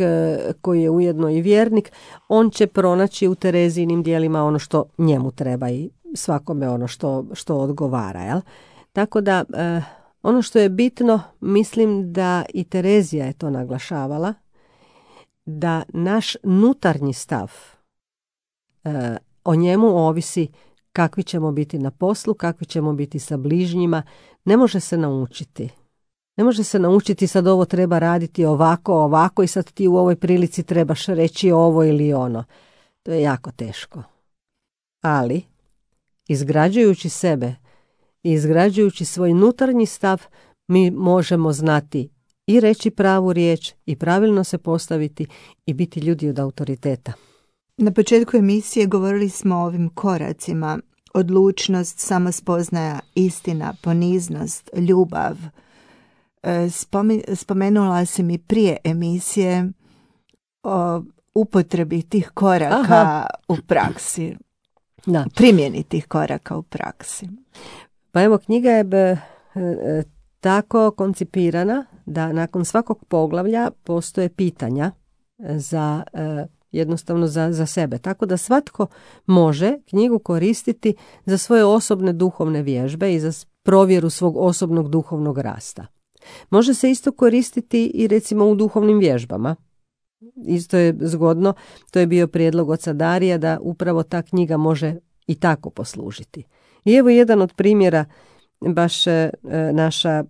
koji je ujedno i vjernik, on će pronaći u Terezijinim dijelima ono što njemu treba i svakome ono što, što odgovara. Jel? Tako da, ono što je bitno, mislim da i Terezija je to naglašavala, da naš nutarnji stav, o njemu ovisi kakvi ćemo biti na poslu, kakvi ćemo biti sa bližnjima. Ne može se naučiti. Ne može se naučiti sad ovo treba raditi ovako, ovako i sad ti u ovoj prilici trebaš reći ovo ili ono. To je jako teško. Ali, izgrađujući sebe i izgrađujući svoj nutarnji stav, mi možemo znati i reći pravu riječ i pravilno se postaviti i biti ljudi od autoriteta. Na početku emisije govorili smo o ovim koracima: odlučnost, samospoznaja, istina, poniznost, ljubav. Spomenula si mi prije emisije o upotrebi tih koraka Aha. u praksi. Da. Primjeni tih koraka u praksi. Pa evo, knjiga je b, tako koncipirana da nakon svakog poglavlja postoje pitanja za jednostavno za, za sebe. Tako da svatko može knjigu koristiti za svoje osobne duhovne vježbe i za provjeru svog osobnog duhovnog rasta. Može se isto koristiti i recimo u duhovnim vježbama. Isto je zgodno, to je bio prijedlog oca Darija da upravo ta knjiga može i tako poslužiti. I evo jedan od primjera, baš e, naša e,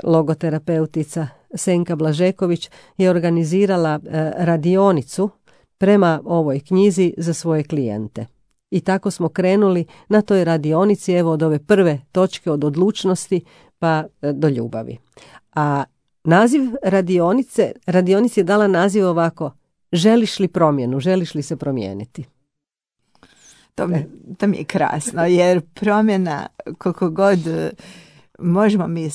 logoterapeutica Senka Blažeković je organizirala e, radionicu prema ovoj knjizi za svoje klijente. I tako smo krenuli na toj radionici, evo od ove prve točke, od odlučnosti pa do ljubavi. A naziv radionice, radionici je dala naziv ovako: želiš li promjenu, želiš li se promijeniti? To mi, to mi je krasno, jer promjena, koliko god možemo mi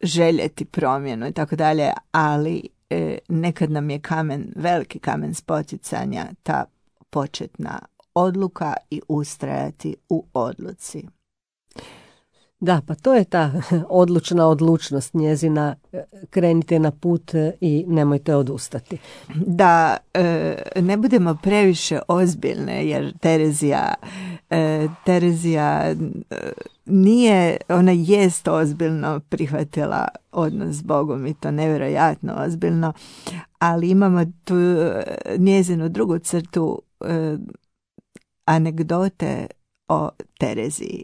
željeti promjenu i tako dalje, ali e, nekad nam je kamen, veliki kamen spoticanja, ta početna odluka i ustrajati u odluci. Da, pa to je ta odlučna odlučnost njezina, krenite na put i nemojte odustati. Da e, ne budemo previše ozbiljne, jer Terezija, e, Terezija e, nije, ona jest ozbiljno prihvatila odnos s Bogom i to nevjerojatno ozbiljno, ali imamo tu njezinu drugu crtu, e, anegdote o Tereziji.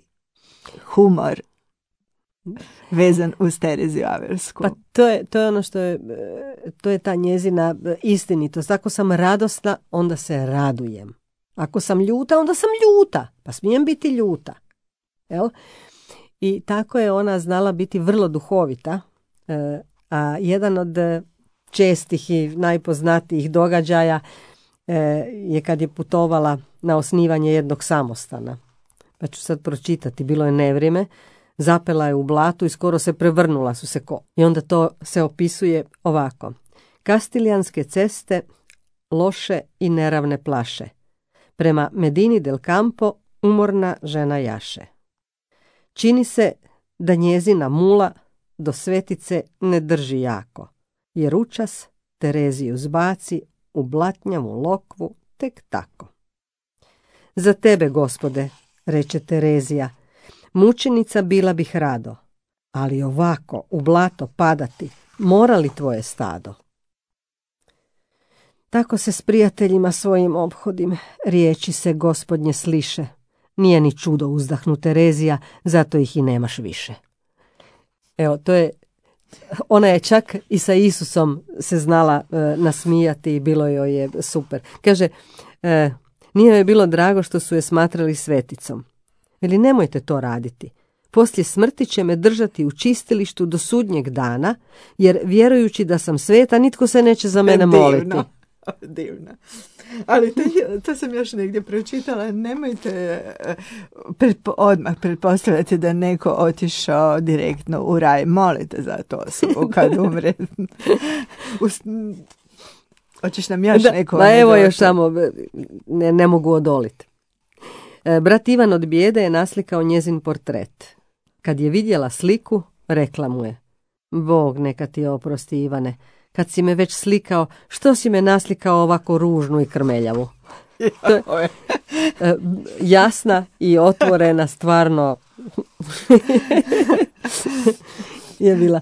Humor vezan uz Tereziju Avelsku. Pa to je, to je ono što je, to je ta njezina istinitost. Ako sam radosna, onda se radujem. Ako sam ljuta, onda sam ljuta. Pa smijem biti ljuta. Jel? I tako je ona znala biti vrlo duhovita. A jedan od čestih i najpoznatijih događaja je kad je putovala na osnivanje jednog samostana. Pa ću sad pročitati, bilo je nevrijeme, zapela je u blatu i skoro se prevrnula su se ko. I onda to se opisuje ovako. Kastiljanske ceste loše i neravne plaše. Prema Medini del Campo umorna žena jaše. Čini se da njezina mula do svetice ne drži jako, jer učas Tereziju zbaci u blatnjavu lokvu tek tako. Za tebe, Gospode, reče Terezija, mučenica bila bih rado, ali ovako u blato padati mora li tvoje stado? Tako se s prijateljima svojim ophodim, riječi se Gospodnje sliše. Nije ni čudo, uzdahnu Terezija, zato ih i nemaš više. Evo, to je, ona je čak i sa Isusom se znala e, nasmijati i bilo joj je super. Kaže, e, nije joj bilo drago što su je smatrali sveticom. Veli, nemojte to raditi. Poslije smrti će me držati u čistilištu do sudnjeg dana, jer vjerujući da sam sveta, nitko se neće za mene moliti. Divno, divno. Ali to, to sam još negdje pročitala. Nemojte pretpo, odmah pretpostavljati da neko otišao direktno u raj. Molite za to osobu kad umre. Hoćeš nam još da, neko? Ma evo još samo, ne, ne mogu odoliti. Brat Ivan od bijede je naslikao njezin portret. Kad je vidjela sliku, rekla mu je: Bog neka ti oprosti, Ivane, kad si me već slikao, što si me naslikao ovako ružnu i krmeljavu? To je, jasna i otvorena, stvarno je bila.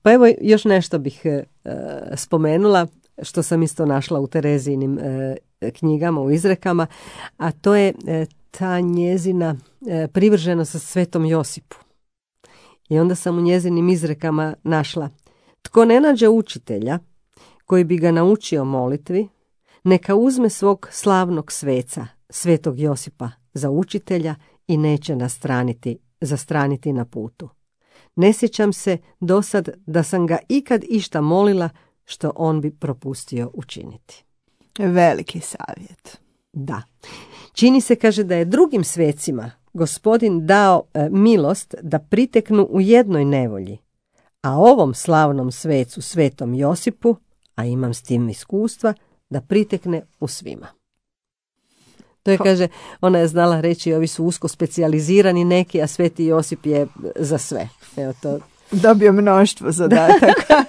Pa evo još nešto bih spomenula, što sam isto našla u Terezijinim knjigama, u izrekama, a to je ta njezina privrženost Svetom Josipu. I onda sam u njezinim izrekama našla: Tko ne nađe učitelja koji bi ga naučio molitvi, neka uzme svog slavnog sveca, Svetog Josipa, za učitelja i neće nastraniti, zastraniti na putu. Ne sjećam se dosad da sam ga ikad išta molila što on bi propustio učiniti. Veliki savjet. Da. Čini se, kaže, da je drugim svecima Gospodin dao e, milost da priteknu u jednoj nevolji, a ovom slavnom svecu, Svetom Josipu, a imam s tim iskustva, da pritekne u svima. To je, kaže, ona je znala reći, ovi su usko specijalizirani neki, a Sveti Josip je za sve. Evo to. Dobio mnoštvo zadataka.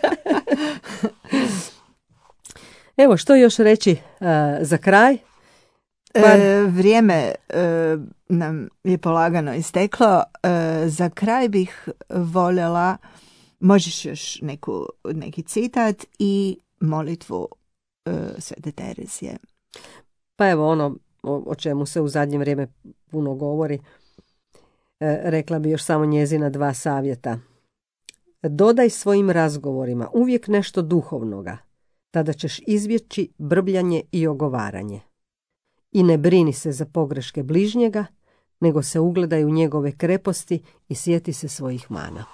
Evo, što još reći uh, za kraj? Pa... E, vrijeme e, nam je polagano isteklo. E, za kraj bih voljela, možeš još neku, neki citat i molitvu e, Svete Terezije. Pa evo ono o, o čemu se u zadnje vrijeme puno govori. E, rekla bi još samo njezina dva savjeta. Dodaj svojim razgovorima uvijek nešto duhovnoga, tada ćeš izbjeći brbljanje i ogovaranje. I ne brini se za pogreške bližnjega, nego se ugledaj u njegove kreposti i sjeti se svojih mana.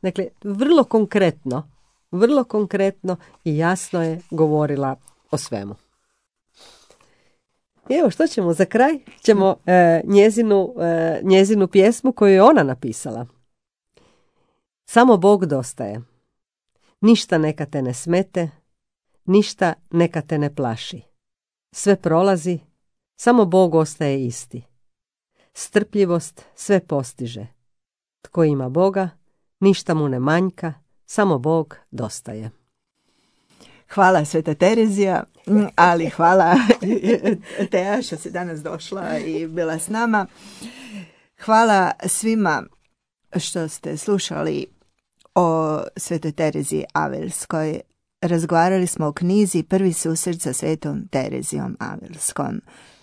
Dakle, vrlo konkretno, vrlo konkretno i jasno je govorila o svemu. I evo, što ćemo za kraj? Ćemo e, njezinu, e, njezinu pjesmu koju je ona napisala. Samo Bog dostaje. Ništa neka te ne smete, ništa neka te ne plaši. Sve prolazi, samo Bog ostaje isti. Strpljivost sve postiže. Tko ima Boga, ništa mu ne manjka, samo Bog dostaje. Hvala Sveta Terezija, ali hvala Teja što si danas došla i bila s nama. Hvala svima što ste slušali o Svetoj Tereziji Avelskoj. Razgovarali smo o knjizi Prvi susret sa Svetom Terezijom Avelskom.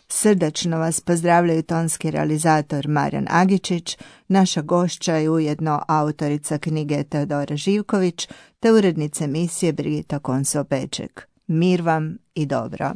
Srdačno vas pozdravljaju tonski realizator Marijan Agičić, naša gošća je ujedno autorica knjige Teodora Živković, te urednica emisije Brigita Konso-Peček. Mir vam i dobro.